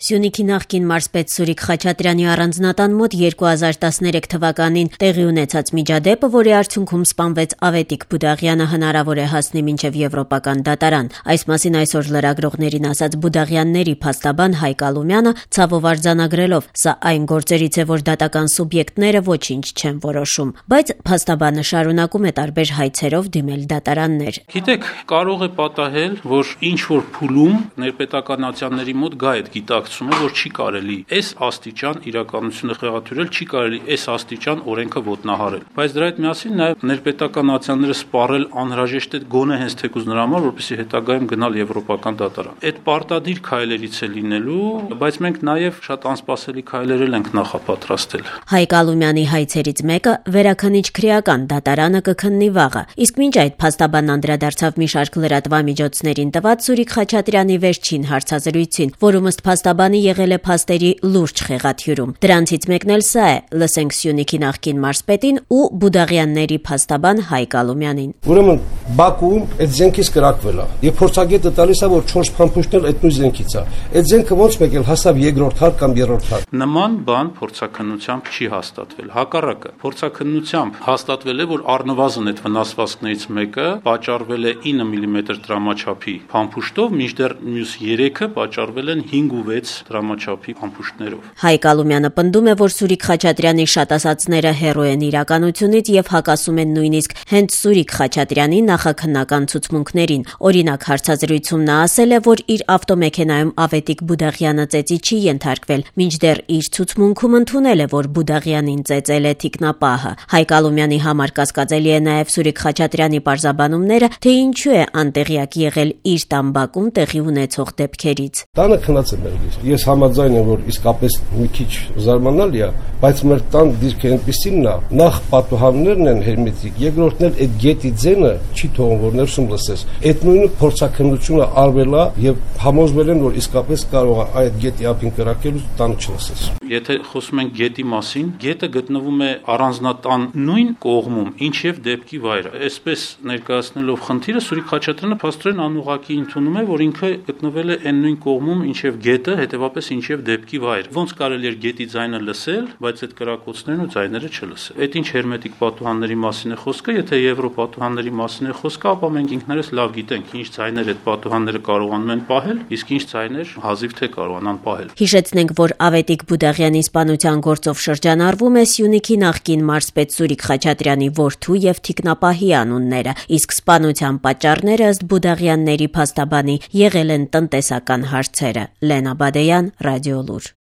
Սյունիքի նախկին մարզպետ Սուրիկ Խաչատրյանի առանձնատան մոտ 2013 թվականին տեղի ունեցած միջադեպը, որի արդյունքում սպանվեց Ավետիք Բուդաղյանը, հնարավոր է հասնի մինչև եվրոպական դատարան։ Այս մասին այսօր լրագրողներին ասաց Բուդաղյանների փաստաբան Հայկ Ալումյանը, ցավով արձանագրելով. «Սա այն գործերից է, որ դատական սուբյեկտները ոչինչ չեն որոշում», բայց փաստաբանը շարունակում է տարբեր հայցերով դիմել դատարաններ։ Գիտեք, կարող է պատահել, որ ինչ-որ փուլում ներպետականացիաների մոտ գա այդ գիտակցումը, որ չի կարելի այս աստիճան իրականությունը խեղաթյուրել, չի կարելի այս աստիճան օրենքը ոտնահարել։ Բայց դրա հետ միասին նաև ներպետականացիաները սպառել անհրաժեշտ է գոնե հենց թեկուզ նրա համար, որպեսզի հետագայում գնալ եվրոպական դատարան։ Այդ պարտադիր քայլերից է լինելու, բայց մենք նաև շատ անսպասելի քայլեր ենք նախապատրաստել։ Հայկ Ալումյանի հայցերից մեկը վերաքննիչ քրեական դատարանը կքննի վաղը, իսկ մինչ այդ փաստաբանն անդրադարձավ մի շարք լրատվամիջոցներին տված Սուրիկ Խաչատրյանի վերջին հարցազրույցին, որում ըստ փաստաբանի եղել է փաստերի լուրջ խեղաթյուրում։ Դրանցից մեկն էլ սա է, լսենք Սյունիքի նախկին մարզպետին ու Բուդաղյանների փաստաբան Հայկ Ալումյանին։ Ուրեմն Բաքուում այդ զենքից կրակվել է, եւ փորձագետը տալիս է, որ 4 փամփուշտն էլ այդ նույն զենքից է։ Այդ զենքը ոնց մեկ էլ հասավ երկրորդ հարկ կամ երրորդ հարկ։ Նման բան փորձաքննությամբ չի հաստատվել։ Հակառակը, փորձաքննությամբ հաստատվել է, որ առնվազն այդ վնասվածքներից մեկը պատճառվել է 9 մմ դրամաչափի փամփուշտով, մինչդեռ մյուս 3-ը պատճառվել են 5 ու 6 դրամաչափի փամփուշտներով։ Հայկ Ալումյանը պնդում է, որ Սուրիկ Խաչատրյանի շատ ասածները հեռու են իրականությունից եւ հակասում են նույնիսկ հենց Սուրիկ Խաչատրյանի նախաքննական ցուցմունքներին։ Օրինակ, հարցազրույցում նա ասել է, որ իր ավտոմեքենայում Ավետիք Բուդաղյանը ծեծի չի ենթարկվել, մինչդեռ իր ցուցմունքում ընդունել է, որ Բուդաղյանին ծեծել է թիկնապահը։ Հայկ Ալումյանի համար կասկածելի է նաեւ Սուրիկ Խաչատրյանի պարզաբանումները, թե ինչու է անտեղյակ եղել իր տան բակում տեղի ունեցող դեպքերից։ Տանը քնած է մեր դիրքը։ Ես համաձայն եմ, որ իսկապես մի քիչ զարմանալի է, բայց մեր տան դիրքը այնպեսին է, նախ պատուհաններն են հերմետիկ, երկրորդն էլ այդ գետի ձենը չի թողում, որ ներսում լսես։ Այդ նույնը փորձաքննությունը արվել է եւ համոզվել են, որ իսկապես կարող է այդ գետի ափին կրակել ու տանը չլսես։ Եթե խոսում ենք գետի մասին, գետը գտնվում է առանձնատան նույն կողմում, ինչև դեպքի վայրը։ Այսպես ներկայացնելով խնդիրը, Սուրիկ Խաչատրյանը փաստորեն անուղղակի ընդունում է, որ ինքը գտնվել է այն նույն կողմում, ինչև գետը, հետեւաբար ինչև դեպքի վայրը։ Ոնց կարելի էր գետի ձայնը լսել, բայց այդ կրակոցներն ու ձայները չլսել։ Այդ ինչ հերմետիկ պատուհանների մասին է խոսքը, եթե եվրոպատուհանների մասին է խոսքը, ապա մենք ինքներս լավ գիտենք, ինչ ձայներ այդ պատուհանները կարողանում են պահել, իսկ ինչ ձայներ հազիվ թե կարողանան պահել։ Հիշեցնենք, որ Ավետիք Բուդաղյանի սպանության գործով շրջանառվում է Սյունիքի նախկին մարզպետ Սուրիկ Խաչատրյանի որդու եւ թիկնապահի անունները, իսկ սպանության պատճառները ըստ Բուդաղյանների փաստաբանի եղել են տնտեսական հարցերը։ Լենա Բադեյան, Ռադիոլուր։